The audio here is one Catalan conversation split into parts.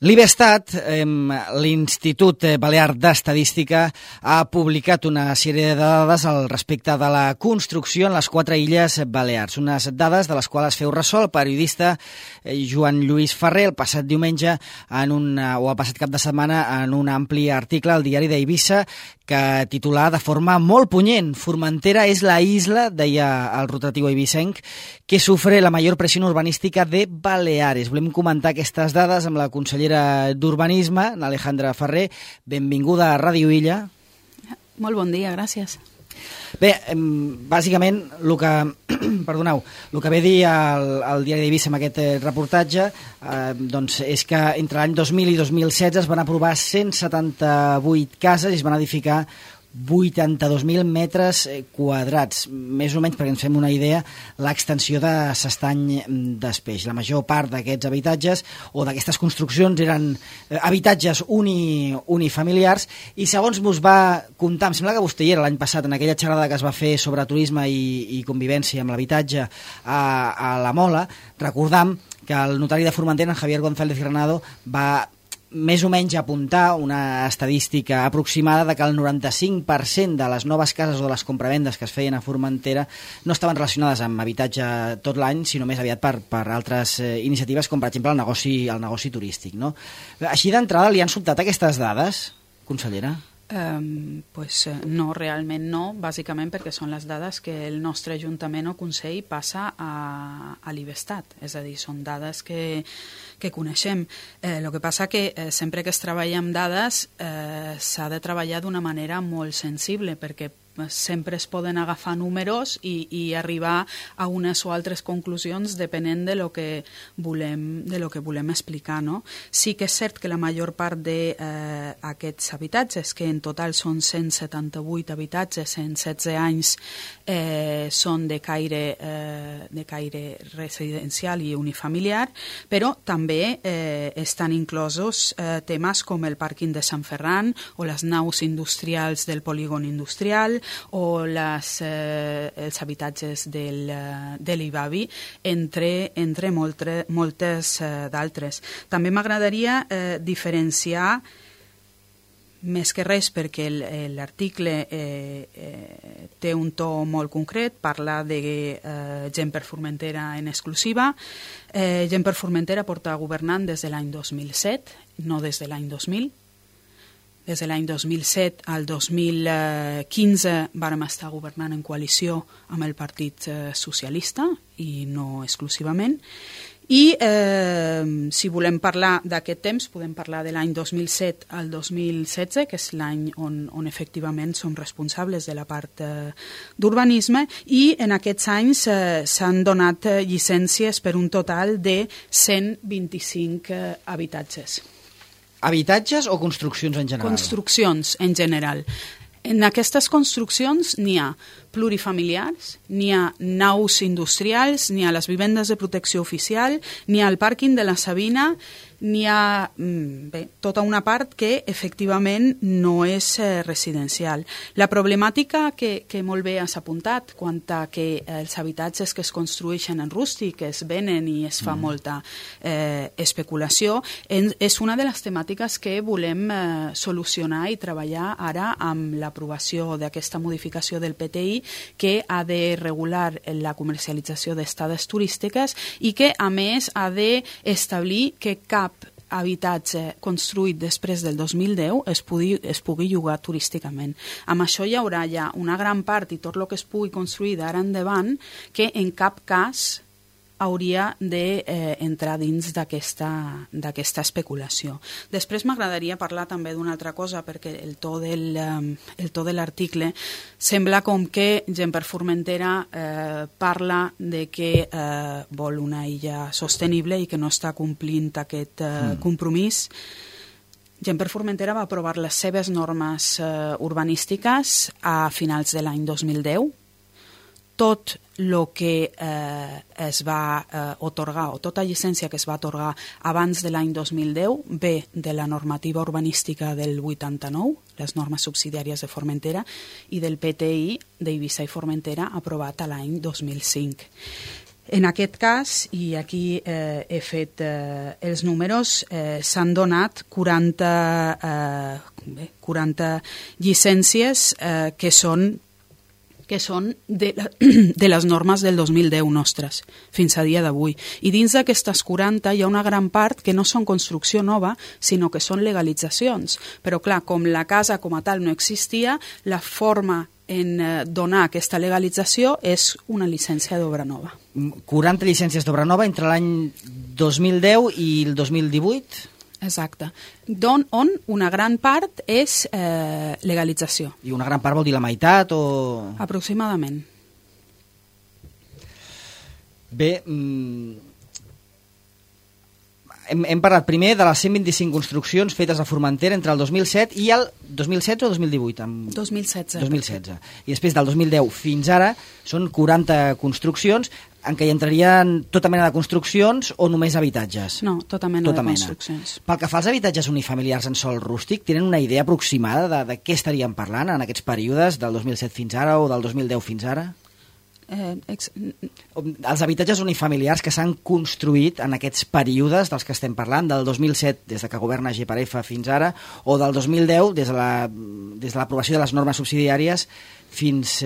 L'IBESTAT, l'Institut Balear d'Estadística, ha publicat una sèrie de dades al respecte de la construcció en les 4 illes Balears. Unes dades de les quals feu ressò el periodista Joan Lluís Ferrer el passat diumenge o el passat cap de setmana en un ampli article al diari d'Eivissa que titula de forma molt punyent: Formentera és la isla, deia el rotatiu eivissenc, que sufre la major pressió urbanística de Baleares. Volem comentar aquestes dades amb la consellera d'Urbanisme, Alejandra Ferrer. Benvinguda a Ràdio Illa. Molt bon dia, gràcies. Bé, bàsicament, el que ve a dir el diari d'Eivissa amb aquest reportatge és que entre l'any 2000 i 2016 es van aprovar 178 cases i es van edificar 82.000 metres quadrats, més o menys perquè ens fem una idea l'extensió de s'Estany d'Espeix. La major part d'aquests habitatges o d'aquestes construccions eren habitatges unifamiliars i segons mos va comptar, em sembla que vostè hi era l'any passat en aquella xerrada que es va fer sobre turisme i convivència amb l'habitatge a la Mola, recordam que el notari de Formentera, en Javier González Granado, va més o menys apuntar una estadística aproximada de que el 95% de les noves cases o de les compravendes que es feien a Formentera no estaven relacionades amb habitatge tot l'any, sinó més aviat per altres iniciatives, com per exemple el negoci turístic, no? Així d'entrada, li han sobtat aquestes dades, consellera? No, realment no, bàsicament perquè són les dades que el nostre Ajuntament o Consell passa a l'IBESTAT, és a dir, són dades que coneixem. El que passa que sempre que es treballa amb dades s'ha de treballar d'una manera molt sensible, perquè sempre es poden agafar números i arribar a unes o altres conclusions depenent de lo que volem explicar, no? Sí que és cert que la major part d'aquests habitatges, que en total són 178 habitatges en 16 anys, són de caire residencial i unifamiliar, però també estan inclosos temes com el pàrquing de Sant Ferran o les naus industrials del polígon industrial o els habitatges de l'Ibavi, entre moltes d'altres. També m'agradaria diferenciar, més que res perquè l'article té un to molt concret, parla de Gent per Formentera en exclusiva. Gent per Formentera porta governant des de l'any 2007, no des de l'any 2000. Des de l'any 2007 al 2015 vàrem estar governant en coalició amb el Partit Socialista i no exclusivament. I si volem parlar d'aquest temps, podem parlar de l'any 2007 al 2016, que és l'any on efectivament som responsables de la part d'urbanisme, i en aquests anys s'han donat llicències per un total de 125 habitatges. Habitatges o construccions en general? Construccions en general. En aquestes construccions n'hi ha plurifamiliars, n'hi ha naus industrials, n'hi ha les vivendes de protecció oficial, n'hi ha el pàrquing de la Sabina, n'hi ha tota una part que efectivament no és residencial. La problemàtica que molt bé has apuntat quant a que els habitatges que es construeixen en rústic es venen i es fa molta especulació és una de les temàtiques que volem solucionar i treballar ara amb l'aprovació d'aquesta modificació del PTI que ha de regular la comercialització d'estades turístiques i que a més ha d'establir que cap habitatge construït després del 2010 es pugui llogar turísticament. Amb això hi haurà ja una gran part i tot el que es pugui construir d'ara endavant que en cap cas hauria d'entrar dins d'aquesta especulació. Després m'agradaria parlar també d'una altra cosa perquè el to de l'article sembla com que Gent per Formentera parla de que vol una illa sostenible i que no està complint aquest compromís. Gent per Formentera va aprovar les seves normes urbanístiques a finals de l'any 2010. Tot el que es va otorgar, o tota llicència que es va atorgar abans de l'any 2010, ve de la normativa urbanística del 89, les normes subsidiàries de Formentera, i del PTI d'Eivissa i Formentera aprovat a l'any 2005. En aquest cas, i aquí he fet els números, s'han donat 40 llicències que són de les normes del 2010 nostres, fins a dia d'avui. I dins d'aquestes 40 hi ha una gran part que no són construcció nova, sinó que són legalitzacions. Però clar, com la casa com a tal no existia, la forma en donar aquesta legalització és una llicència d'obra nova. 40 llicències d'obra nova entre l'any 2010 i el 2018? Exacte. On una gran part és legalització. I una gran part vol dir la meitat o...? Aproximadament. Bé, hem parlat primer de les 125 construccions fetes a Formentera entre el 2007 i el 2016 o 2018? 2016. 2016. I després del 2010 fins ara són 40 construccions en què hi entrarien tota mena de construccions o només habitatges? No, tota mena de construccions. Pel que fa als habitatges unifamiliars en sòl rústic, tenen una idea aproximada de què estaríem parlant en aquests períodes, del 2007 fins ara o del 2010 fins ara? Els habitatges unifamiliars que s'han construït en aquests períodes dels que estem parlant, del 2007 des que governa GPRF fins ara, o del 2010 des de l'aprovació de les normes subsidiàries fins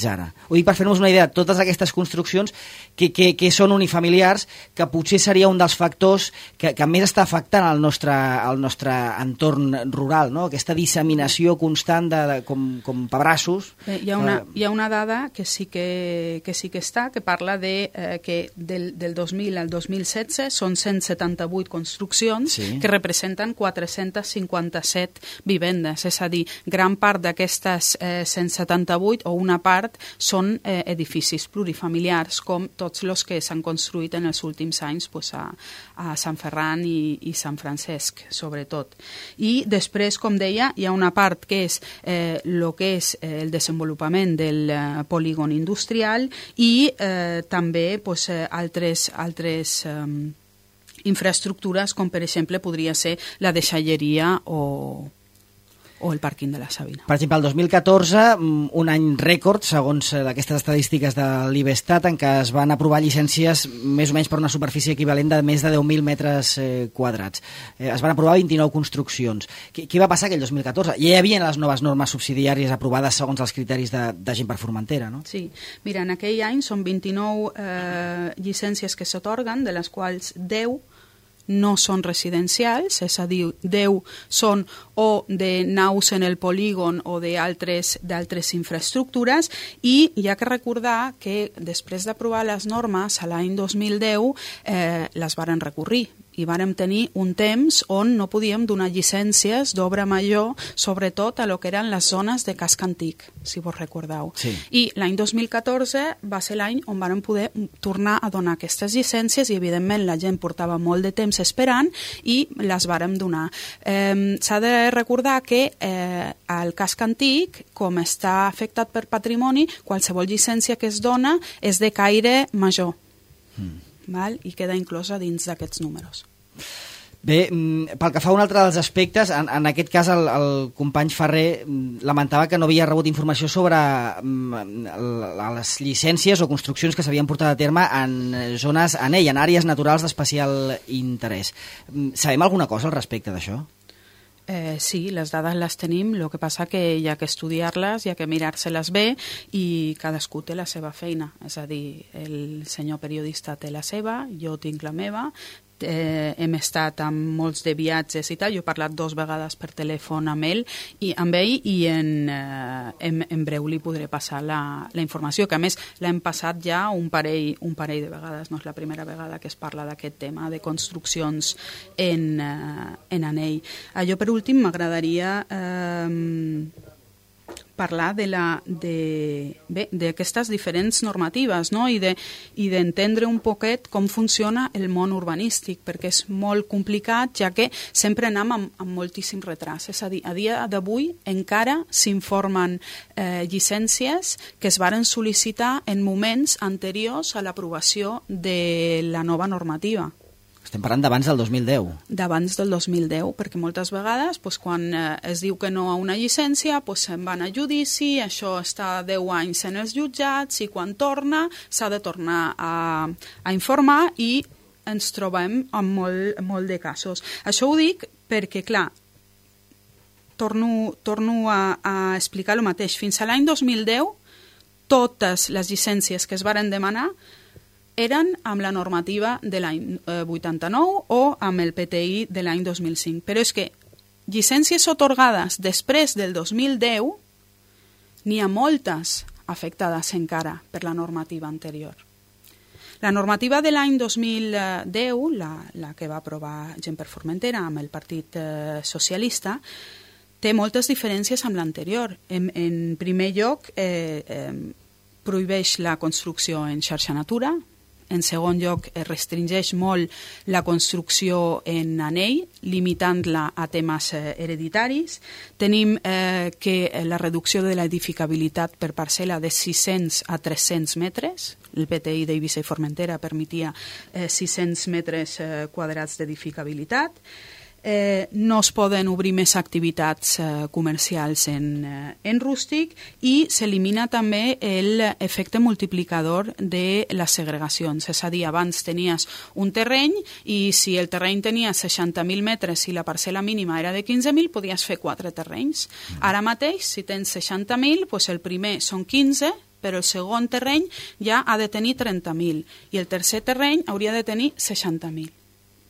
ara. Ho dic per fer-nos una idea, totes aquestes construccions que són unifamiliars, que potser seria un dels factors que més està afectant el nostre entorn rural, no? Aquesta disseminació constant com pebrassos. Hi ha una dada que sí que està, que parla de que del 2000 al 2016 són 178 construccions que representen 457 vivendes, és a dir, gran part d'aquestes 178 o una part són edificis plurifamiliars, com tots els que s'han construït en els últims anys a Sant Ferran i Sant Francesc, sobretot. I després, com deia, hi ha una part que és el desenvolupament del polígon industrial i també altres infraestructures, com per exemple podria ser la deixalleria o el pàrquing de la Sabina. Per exemple, el 2014, un any rècord, segons aquestes estadístiques de l'Ivestat, en què es van aprovar llicències més o menys per una superfície equivalent de més de 10.000 metres quadrats. Es van aprovar 29 construccions. Què va passar aquell 2014? Ja hi havia les noves normes subsidiàries aprovades segons els criteris de Gent per Formentera, no? Sí. Mira, en aquell any són 29 llicències que s'atorguen, de les quals 10 no són residencials, és a dir, 10 són o de naus en el polígon o d'altres infraestructures, i hi ha que recordar que després d'aprovar les normes a l'any 2010 les varen recórrer i vàrem tenir un temps on no podíem donar llicències d'obra major, sobretot a lo que eren les zones de casc antic, si vos recordeu. Sí. I l'any 2014 va ser l'any on vàrem poder tornar a donar aquestes llicències i, evidentment, la gent portava molt de temps esperant i les vàrem donar. S'ha de recordar que el casc antic, com està afectat per patrimoni, qualsevol llicència que es dona és de caire major. Val? I queda inclosa dins d'aquests números. Bé, pel que fa a un altre dels aspectes, en aquest cas el company Ferrer lamentava que no havia rebut informació sobre les llicències o construccions que s'havien portat a terme en zones ANEI, en àrees naturals d'especial interès. Sabem alguna cosa al respecte d'això? Sí, les dades les tenim, el que passa que hi ha que estudiar-les, hi ha que mirar-se-les bé i cadascú té la seva feina, és a dir, el senyor periodista té la seva, jo tinc la meva, hem estat amb molts de viatges i tal, jo he parlat 2 vegades per telèfon amb ell i en breu li podré passar la informació, que a més l'hem passat ja un parell de vegades, no és la primera vegada que es parla d'aquest tema de construccions en ANEI. Jo per últim m'agradaria parlar d'aquestes diferents normatives, no? I d'entendre un poquet com funciona el món urbanístic, perquè és molt complicat, ja que sempre anem amb moltíssim retras. És a dir, a dia d'avui encara s'informen llicències que es varen sol·licitar en moments anteriors a l'aprovació de la nova normativa. Estem parlant d'abans del 2010. D'abans del 2010, perquè moltes vegades quan es diu que no a una llicència se'n van a judici, això està 10 anys en els jutjats i quan torna s'ha de tornar a informar i ens trobem amb molt de casos. Això ho dic perquè, clar, torno a explicar el mateix. Fins a l'any 2010, totes les llicències que es varen demanar eren amb la normativa de l'any 89 o amb el PTI de l'any 2005. Però és que llicències atorgades després del 2010 n'hi ha moltes afectades encara per la normativa anterior. La normativa de l'any 2010, la que va aprovar Gent per Formentera amb el Partit Socialista, té moltes diferències amb l'anterior. En primer lloc, prohibeix la construcció en xarxa Natura. En segon lloc, restringeix molt la construcció en anell, limitant-la a temes hereditaris. Tenim que la reducció de l'edificabilitat per parcel·la de 600 a 300 metres. El PTI d'Eivissa i Formentera permetia 600 metres quadrats d'edificabilitat. No es poden obrir més activitats comercials en rústic i s'elimina també l'efecte multiplicador de les segregacions. És a dir, abans tenies un terreny i si el terreny tenia 60.000 metres i la parcel·la mínima era de 15.000, podies fer 4 terrenys. Ara mateix, si tens 60.000, el primer són 15, però el segon terreny ja ha de tenir 30.000 i el tercer terreny hauria de tenir 60.000.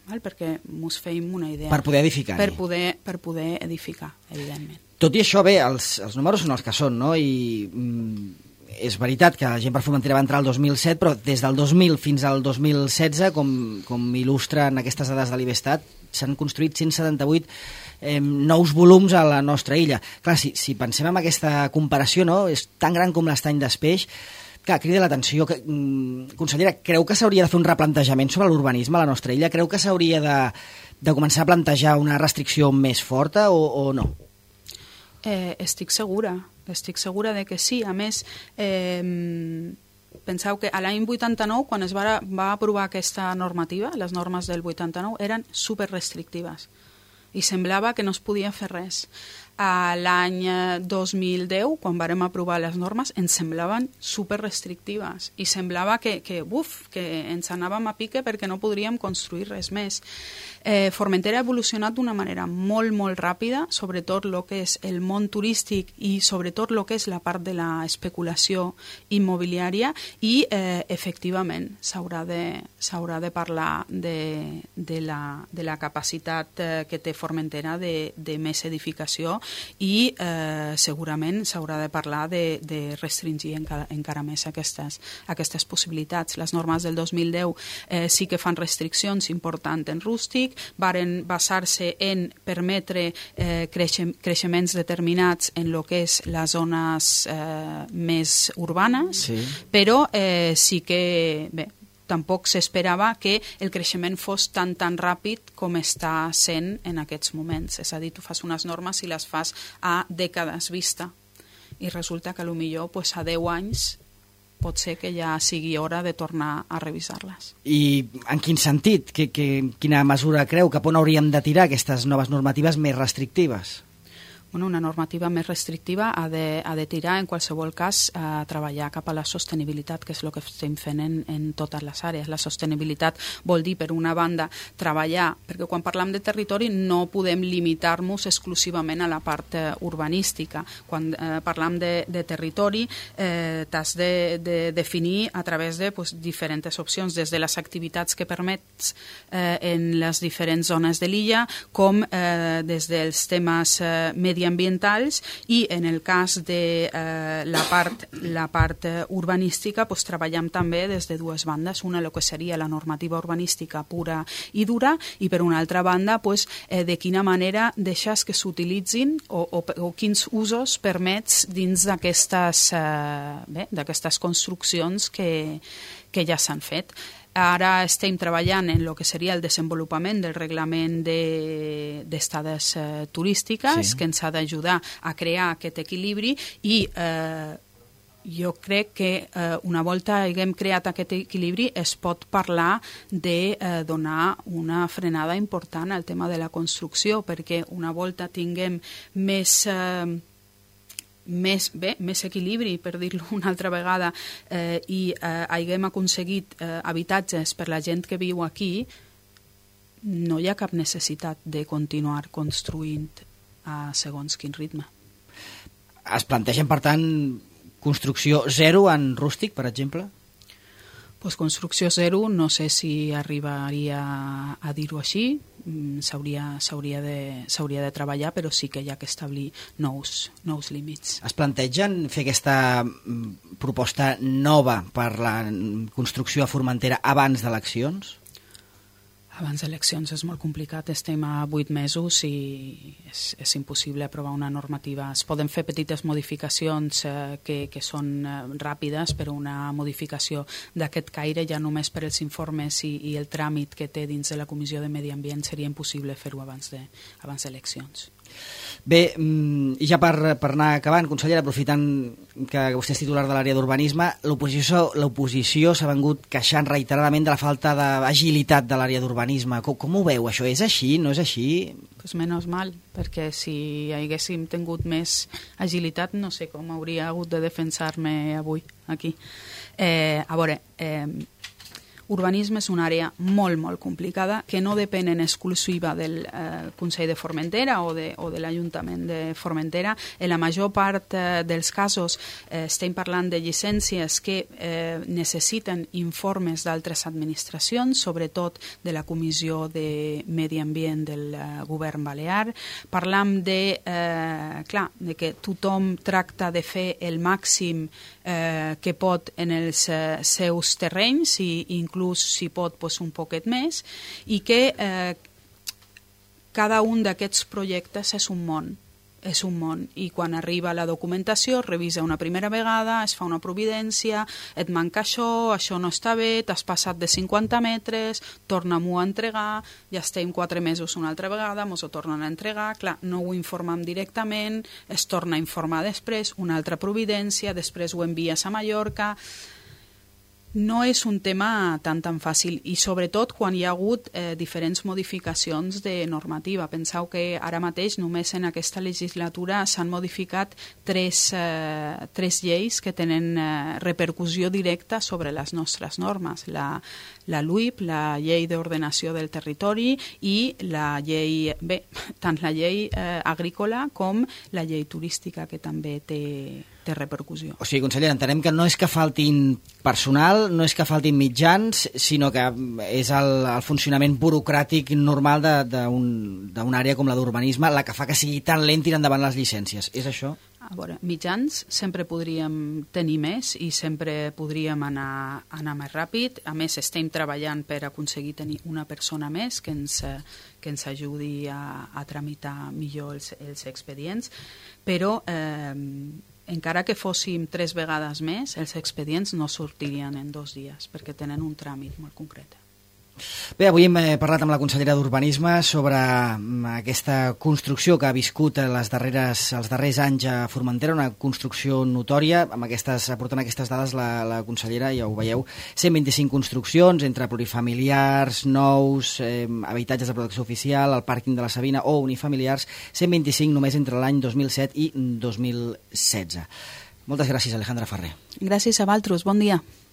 Perquè ens feim una idea. Per poder edificar. Per poder edificar, evidentment. Tot i això, bé, els números són els que són, no? I és veritat que Gent per Formentera va entrar el 2007, però des del 2000 fins al 2016, com il·lustren aquestes dades de l'Ivestat, s'han construït 178 nous volums a la nostra illa. Clar, si pensem en aquesta comparació, no? És tan gran com l'Estany d'Espeix. Clar, crida l'atenció. Consellera, creu que s'hauria de fer un replantejament sobre l'urbanisme a la nostra illa? Creu que s'hauria de començar a plantejar una restricció més forta o no? Estic segura de que sí. A més, penseu que a l'any 89, quan es va aprovar aquesta normativa, les normes del 89 eren superrestrictives i semblava que no es podia fer res. A l'any 2010, quan vàrem aprovar les normes, ens semblaven superrestrictives i semblava que ens anàvem a pique perquè no podríem construir res més. Formentera ha evolucionat d'una manera molt, molt ràpida, sobretot el que és el món turístic i sobretot el que és la part de l'especulació immobiliària i, efectivament, s'haurà de parlar de la capacitat que té Formentera de més edificació i segurament s'haurà de parlar de restringir encara més aquestes possibilitats. Les normes del 2010 sí que fan restriccions importants en rústic, varen basar-se en permetre creixements determinats en el que és les zones més urbanes, sí. Però sí que, bé, tampoc s'esperava que el creixement fos tan ràpid com està sent en aquests moments. És a dir, tu fas unes normes i les fas a dècades vista i resulta que potser a 10 anys pot ser que ja sigui hora de tornar a revisar-les. I en quin sentit? Quina mesura creu? Cap on hauríem de tirar aquestes noves normatives més restrictives? Una normativa més restrictiva ha de tirar, en qualsevol cas, a treballar cap a la sostenibilitat, que és el que estem fent en totes les àrees. La sostenibilitat vol dir, per una banda, treballar, perquè quan parlem de territori no podem limitar-nos exclusivament a la part urbanística. Quan parlem de territori, t'has de definir a través de diferents opcions, des de les activitats que permets en les diferents zones de l'illa, com des dels temes mediambientals i en el cas de la part urbanística treballem també des de dues bandes, una el que seria la normativa urbanística pura i dura i per una altra banda de quina manera deixes que s'utilitzin o quins usos permets dins d'aquestes construccions que ja s'han fet. Ara estem treballant en el que seria el desenvolupament del reglament d'estades turístiques, sí, que ens ha d'ajudar a crear aquest equilibri i jo crec que una volta haguem creat aquest equilibri es pot parlar de donar una frenada important al tema de la construcció, perquè una volta tinguem més equilibri, per dir-ho una altra vegada, i haguem aconseguit habitatges per la gent que viu aquí, no hi ha cap necessitat de continuar construint a segons quin ritme. Es plantegen, per tant, construcció zero en rústic, per exemple? Pues construcció zero, no sé si arribaria a dir-ho així, s'hauria de treballar, però sí que hi ha que establir nous límits. Es plantegen fer aquesta proposta nova per la construcció a Formentera abans d'eleccions? Abans d'eleccions és molt complicat, estem a 8 mesos i és impossible aprovar una normativa. Es poden fer petites modificacions que són ràpides, però una modificació d'aquest caire ja només per els informes i el tràmit que té dins de la Comissió de Medi Ambient seria impossible fer-ho abans d'eleccions. Bé, ja per anar acabant, consellera, aprofitant que vostè és titular de l'àrea d'urbanisme, l'oposició s'ha vengut queixant reiteradament de la falta d'agilitat de l'àrea d'urbanisme. Com ho veu, això? És així? No és així? Pues menys mal, perquè si haguéssim tingut més agilitat no sé com hauria hagut de defensar-me avui aquí. A veure, urbanisme és una àrea molt, molt complicada que no depèn en exclusiva del Consell de Formentera o de l'Ajuntament de Formentera. En la major part dels casos estem parlant de llicències que necessiten informes d'altres administracions, sobretot de la Comissió de Medi Ambient del Govern Balear. Parlam de que tothom tracta de fer el màxim que pot en els seus terrenys i inclús si pot un poquet més, i que cada un d'aquests projectes és un món, i quan arriba la documentació es revisa una primera vegada, es fa una providència, et manca això no està bé, t'has passat de 50 metres, torna-m'ho a entregar, ja estem 4 mesos una altra vegada, mos ho tornen a entregar, clar, no ho informem directament, es torna a informar després, una altra providència, després ho envies a Mallorca. No és un tema tan fàcil, i sobretot quan hi ha hagut diferents modificacions de normativa. Penseu que ara mateix només en aquesta legislatura s'han modificat tres lleis que tenen repercussió directa sobre les nostres normes. La LUIP, la Llei d'Ordenació del Territori, i la llei, tant la llei agrícola com la llei turística, que també té repercussió. O sigui, consellera, entenem que no és que faltin personal, no és que faltin mitjans, sinó que és el funcionament burocràtic normal d'una àrea com la d'urbanisme la que fa que sigui tan lent tirar endavant les llicències. És això? A veure, mitjans sempre podríem tenir més i sempre podríem anar més ràpid. A més, estem treballant per aconseguir tenir una persona més que ens ajudi a tramitar millor els expedients, però encara que fóssim 3 vegades més, els expedients no sortirien en 2 dies, perquè tenen un tràmit molt concret. Bé, avui hem parlat amb la consellera d'Urbanisme sobre aquesta construcció que ha viscut els darrers anys a Formentera, una construcció notòria. Aportant aquestes dades, la consellera, ja ho veieu, 125 construccions entre plurifamiliars, nous, habitatges de protecció oficial, el pàrquing de la Sabina o unifamiliars, 125 només entre l'any 2007 i 2016. Moltes gràcies, Alejandra Ferrer. Gràcies a vosaltres, bon dia.